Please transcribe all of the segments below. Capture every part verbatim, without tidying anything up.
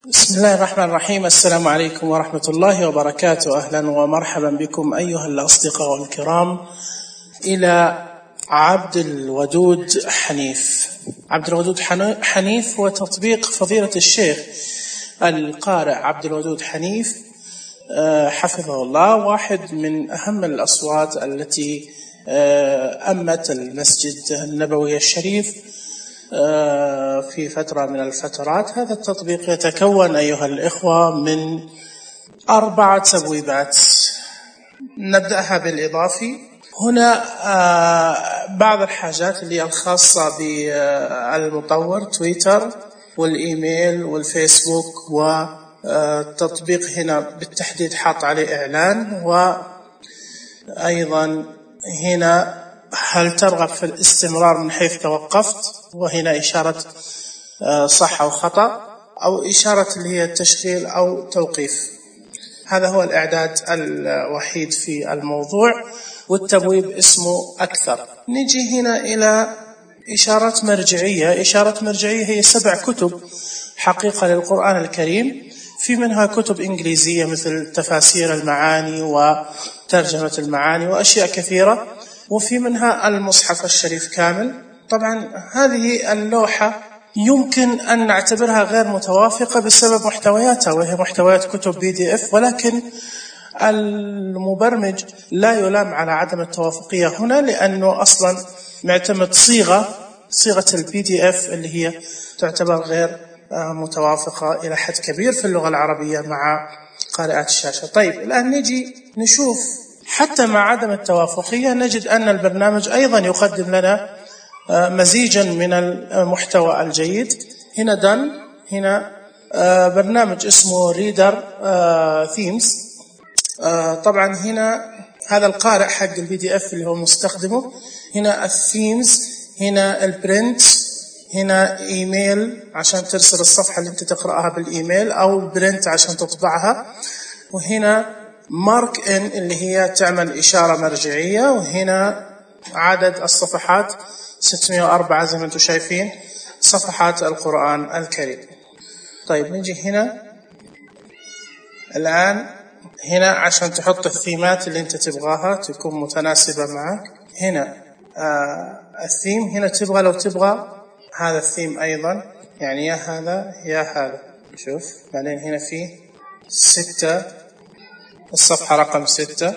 بسم الله الرحمن الرحيم. السلام عليكم ورحمة الله وبركاته. أهلا ومرحبا بكم أيها الأصدقاء الكرام إلى عبد الودود حنيف. عبد الودود حنيف هو تطبيق فضيلة الشيخ القارئ عبد الودود حنيف حفظه الله، واحد من أهم الأصوات التي أمت المسجد النبوي الشريف في فترة من الفترات. هذا التطبيق يتكون أيها الإخوة من أربعة تبويبات. نبدأها بالإضافي. هنا بعض الحاجات اللي الخاصة بالمطور، تويتر والإيميل والفيسبوك، والتطبيق هنا بالتحديد حاط عليه إعلان، وأيضا هنا هل ترغب في الاستمرار من حيث توقفت، وهنا إشارة صح أو خطأ، أو إشارة اللي هي التشغيل أو توقيف. هذا هو الإعداد الوحيد في الموضوع، والتبويب اسمه أكثر. نجي هنا إلى إشارات مرجعية. إشارة مرجعية هي سبع كتب حقيقة للقرآن الكريم، في منها كتب إنجليزية مثل تفاسير المعاني وترجمة المعاني وأشياء كثيرة، وفي منها المصحف الشريف كامل. طبعا هذه اللوحة يمكن أن نعتبرها غير متوافقة بسبب محتوياتها، وهي محتويات كتب بي دي اف، ولكن المبرمج لا يلام على عدم التوافقية هنا، لأنه أصلا معتمد صيغة صيغة البي دي اف اللي هي تعتبر غير متوافقة إلى حد كبير في اللغة العربية مع قارئات الشاشة. طيب الآن نجي نشوف حتى مع عدم التوافقية نجد أن البرنامج أيضا يقدم لنا مزيجا من المحتوى الجيد. هنا دن هنا برنامج اسمه ريدر ثيمز. طبعا هنا هذا القارئ حق البي دي اف اللي هو مستخدمه. هنا الثيمز، هنا البرنت، هنا ايميل عشان ترسل الصفحة اللي انت تقرأها بالايميل، او برنت عشان تطبعها، وهنا مارك ان اللي هي تعمل إشارة مرجعية، وهنا عدد الصفحات ستمائة وأربعة زي ما انتم شايفين صفحات القرآن الكريم. طيب نجي هنا الآن، هنا عشان تحط الثيمات اللي انت تبغاها تكون متناسبة معك. هنا آه الثيم، هنا تبغى لو تبغى هذا الثيم أيضا، يعني يا هذا يا هذا. شوف بعدين هنا فيه ستة، الصفحة رقم ستة.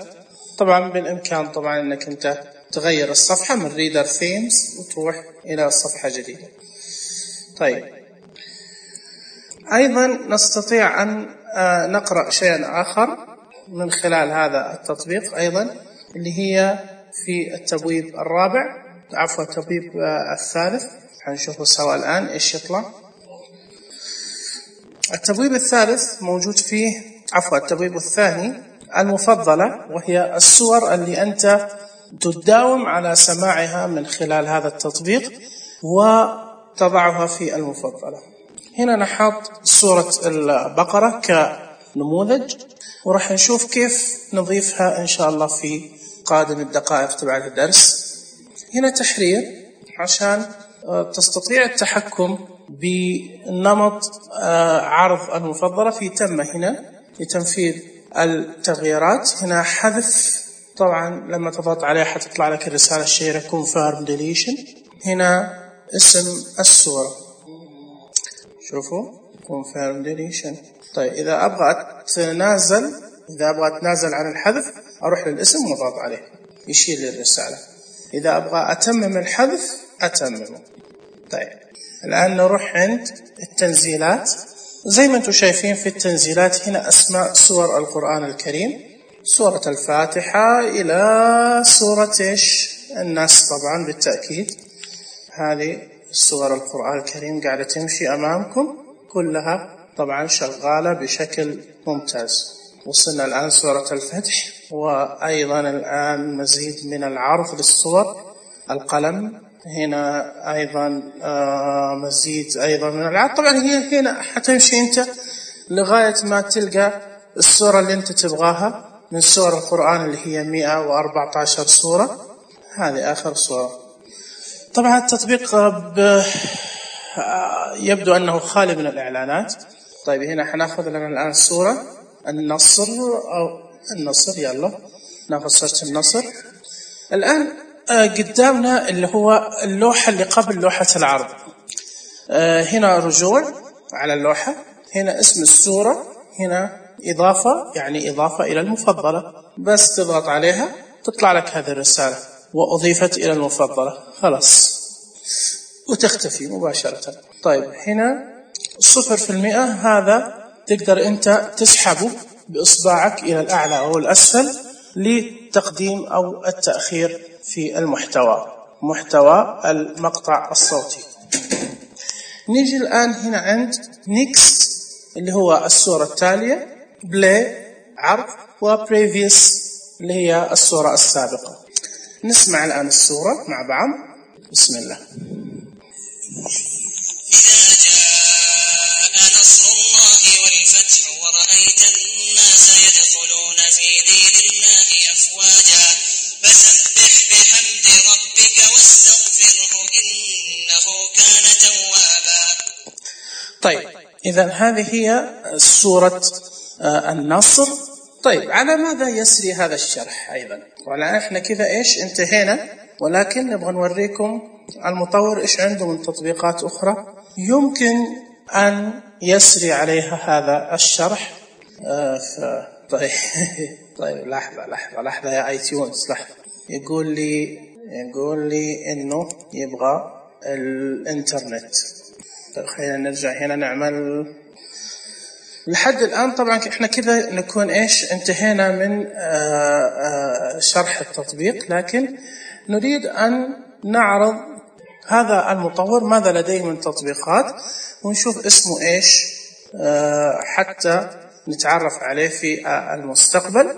طبعا بالإمكان طبعا أنك أنت تغير الصفحة من ريدر ثيمز وتروح إلى صفحة جديدة. طيب أيضا نستطيع أن نقرأ شيئا آخر من خلال هذا التطبيق أيضا، اللي هي في التبويب الرابع، عفوا التبويب الثالث. هنشوفه سوا الآن إيش يطلع. التبويب الثالث موجود فيه، عفوا التبويب الثاني، المفضلة، وهي السور اللي أنت تداوم على سماعها من خلال هذا التطبيق وتضعها في المفضلة. هنا نحط سورة البقرة كنموذج، ورح نشوف كيف نضيفها إن شاء الله في قادم الدقائق تبع الدرس. هنا تحرير عشان تستطيع التحكم بنمط عرض المفضلة. في تم هنا لتنفيذ التغييرات. هنا حذف، طبعا لما تضغط عليها حتطلع لك الرسالة الشهيرة confirm deletion. هنا اسم السورة، شوفوا confirm deletion. طيب إذا أبغى أتنازل إذا أبغى أتنازل عن الحذف أروح للاسم وأضغط عليه يشيل لي الرسالة. إذا أبغى أتمم الحذف أتممه. طيب الآن نروح عند التنزيلات. زي ما انتم شايفين في التنزيلات هنا أسماء سور القرآن الكريم، سورة الفاتحة إلى سورة إيش الناس. طبعا بالتأكيد هذه سور القرآن الكريم قاعدة تمشي أمامكم كلها طبعا شغالة بشكل ممتاز. وصلنا الآن سورة الفتح، وأيضا الآن مزيد من العرض للصور. القلم هنا أيضا مزيد أيضا من العرض. طبعا هي هنا حتمشي أنت لغاية ما تلقى السورة اللي أنت تبغاها من سور القرآن اللي هي مئة وأربعة عشر سورة. هذه آخر سورة. طبعا التطبيق يبدو أنه خالي من الإعلانات، طيب هنا حناخذ لنا الآن الصورة النصر أو النصر. يلا ناخذ صورة النصر. الآن قدامنا اللي هو اللوحة اللي قبل لوحة العرض. هنا رجوع على اللوحة، هنا اسم السورة، هنا إضافة يعني إضافة إلى المفضلة، بس تضغط عليها تطلع لك هذه الرسالة وأضيفت إلى المفضلة، خلاص وتختفي مباشرة. طيب هنا صفر في المئة، هذا تقدر أنت تسحبه بإصبعك إلى الأعلى أو الأسفل لتقديم أو التأخير في المحتوى، محتوى المقطع الصوتي. نيجي الآن هنا عند next اللي هو الصورة التالية، play عرض، و previous اللي هي الصورة السابقة. نسمع الآن الصورة مع بعض. بسم الله. إذا جاء نصر الله والفتح ورأيت الناس يدخلون في دين الله أفواجا فسبح بحمد ربك واستغفره إنه كان توابا. طيب إذا هذه هي سورة النصر. طيب على ماذا يسري هذا الشرح أيضا؟ ولا إحنا كذا إيش انتهينا، ولكن نبغى نوريكم المطور إيش عنده من تطبيقات أخرى يمكن أن يسري عليها هذا الشرح. آه ف... طيب طيب لحظة لحظة لحظة يا ايتيونز لحظة. يقول لي يقول لي إنه يبغى الإنترنت. طيب خلينا نرجع هنا نعمل. لحد الآن طبعا إحنا كذا نكون إيش انتهينا من آآ آآ شرح التطبيق، لكن نريد أن نعرض هذا المطور ماذا لديه من تطبيقات ونشوف اسمه إيش حتى نتعرف عليه في المستقبل.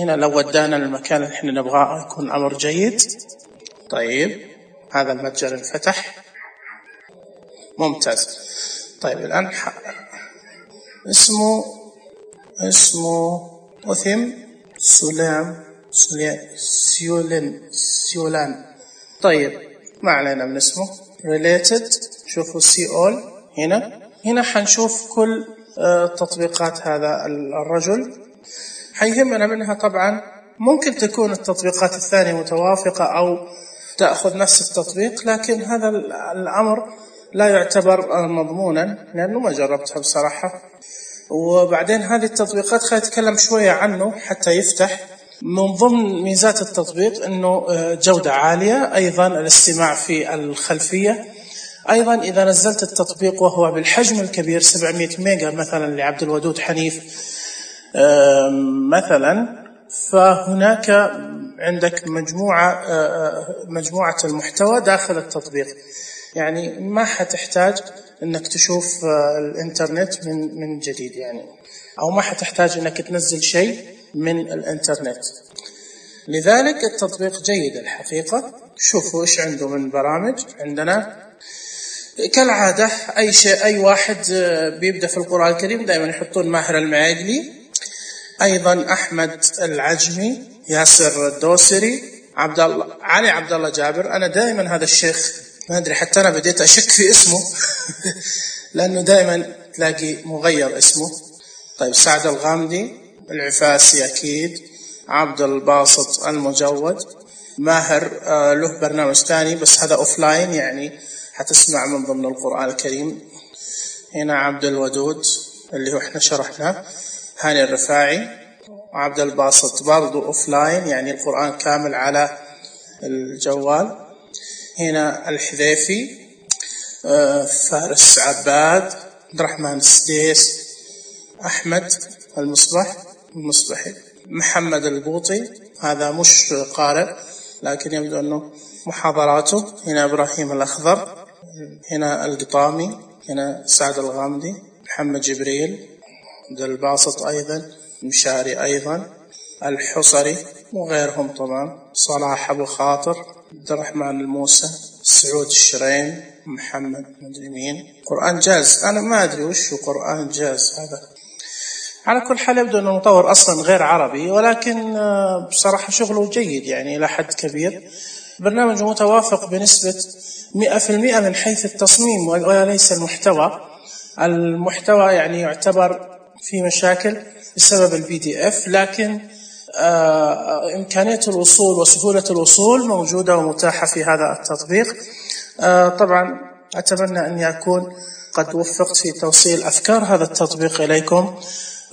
هنا لو ودانا المكان اللي احنا نبغاه يكون أمر جيد. طيب هذا المتجر انفتح، ممتاز. طيب الآن اسمه اسمه أثم سلام سيولن سيولان. طيب ما علينا من اسمه. related شوفوا سيول. هنا هنا حنشوف كل تطبيقات هذا الرجل. حيهمنا منها طبعا ممكن تكون التطبيقات الثانية متوافقة أو تأخذ نفس التطبيق، لكن هذا الأمر لا يعتبر مضمونا لأنه ما جربتها بصراحة. وبعدين هذه التطبيقات خلينا نتكلم شوية عنه حتى يفتح. من ضمن ميزات التطبيق أنه جودة عالية، أيضا الاستماع في الخلفية. أيضا إذا نزلت التطبيق وهو بالحجم الكبير سبعمائة ميجا مثلا لعبد الودود حنيف مثلا، فهناك عندك مجموعة مجموعة المحتوى داخل التطبيق، يعني ما حتحتاج انك تشوف الانترنت من من جديد يعني، او ما حتحتاج انك تنزل شيء من الانترنت. لذلك التطبيق جيد الحقيقة. شوفوا ايش عنده من برامج. عندنا كالعادة اي شيء اي واحد بيبدأ في القرآن الكريم دائما يحطون ماهر المعيقلي، ايضا احمد العجمي، ياسر الدوسري، عبد الله علي عبد الله جابر. انا دائما هذا الشيخ ما أدري حتى أنا بديت أشك في اسمه لأنه دائما تلاقي مغير اسمه. طيب سعد الغامدي، العفاسي أكيد، عبد الباسط المجود، ماهر آه له برنامج ثاني بس هذا أوفلاين يعني حتسمع من ضمن القرآن الكريم. هنا عبد الودود اللي هو احنا شرحناه، هاني الرفاعي، عبد الباسط برضو أوفلاين يعني القرآن كامل على الجوال. هنا الحذيفي، فارس عباد، عبد الرحمن السديس، أحمد المصبح المصبحي، محمد البوطي، هذا مش قارئ لكن يبدو أنه محاضراته. هنا إبراهيم الأخضر، هنا القطامي، هنا سعد الغامدي، محمد جبريل، عبد الباسط أيضا، مشاري أيضا، الحصري وغيرهم طبعا، صلاح أبو خاطر، عبد الرحمن الموسى، سعود الشرين، محمد مدري مين. قرآن جاز، أنا ما أدري وش هو قرآن جاز هذا. على كل حال يبدو أنه المطور أصلا غير عربي، ولكن بصراحة شغله جيد يعني إلى حد كبير. برنامج متوافق بنسبة مئة في المئة من حيث التصميم وليس المحتوى. المحتوى يعني يعتبر في مشاكل بسبب البي دي اف، لكن آه إمكانية الوصول وسهولة الوصول موجودة ومتاحة في هذا التطبيق. آه طبعا أتمنى أن يكون قد وفقت في توصيل أفكار هذا التطبيق إليكم.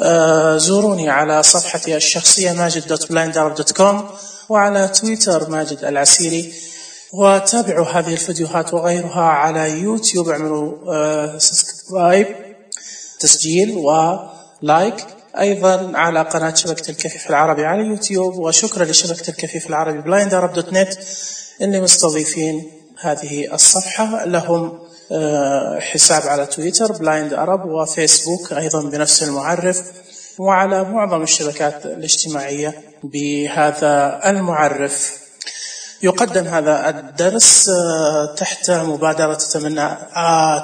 آه زوروني على صفحتي الشخصية ماجد دوت بلايند أرب دوت كوم، وعلى تويتر ماجد العسيري، وتابعوا هذه الفيديوهات وغيرها على يوتيوب. اعملوا آه سبسكرايب، تسجيل ولايك، أيضا على قناة شبكة الكفيف العربي على يوتيوب. وشكرا لشبكة الكفيف العربي بلايند أرب دوت نت اللي مستضيفين هذه الصفحة. لهم حساب على تويتر بلايند أرب، وفيسبوك أيضا بنفس المعرف، وعلى معظم الشبكات الاجتماعية بهذا المعرف. يقدم هذا الدرس تحت مبادرة تمنى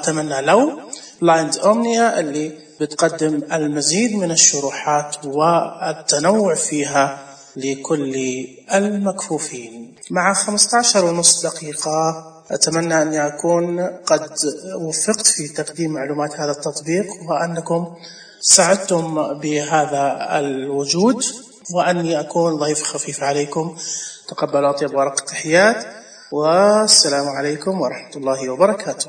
تمنى لو بلايند أومنيا، اللي بتقدم المزيد من الشروحات والتنوع فيها لكل المكفوفين. مع خمسة عشر ونصف دقيقة أتمنى أن أكون قد وفقت في تقديم معلومات هذا التطبيق، وأنكم سعدتم بهذا الوجود، وأني أكون ضيف خفيف عليكم. تقبل أطيب ورق التحيات، والسلام عليكم ورحمة الله وبركاته.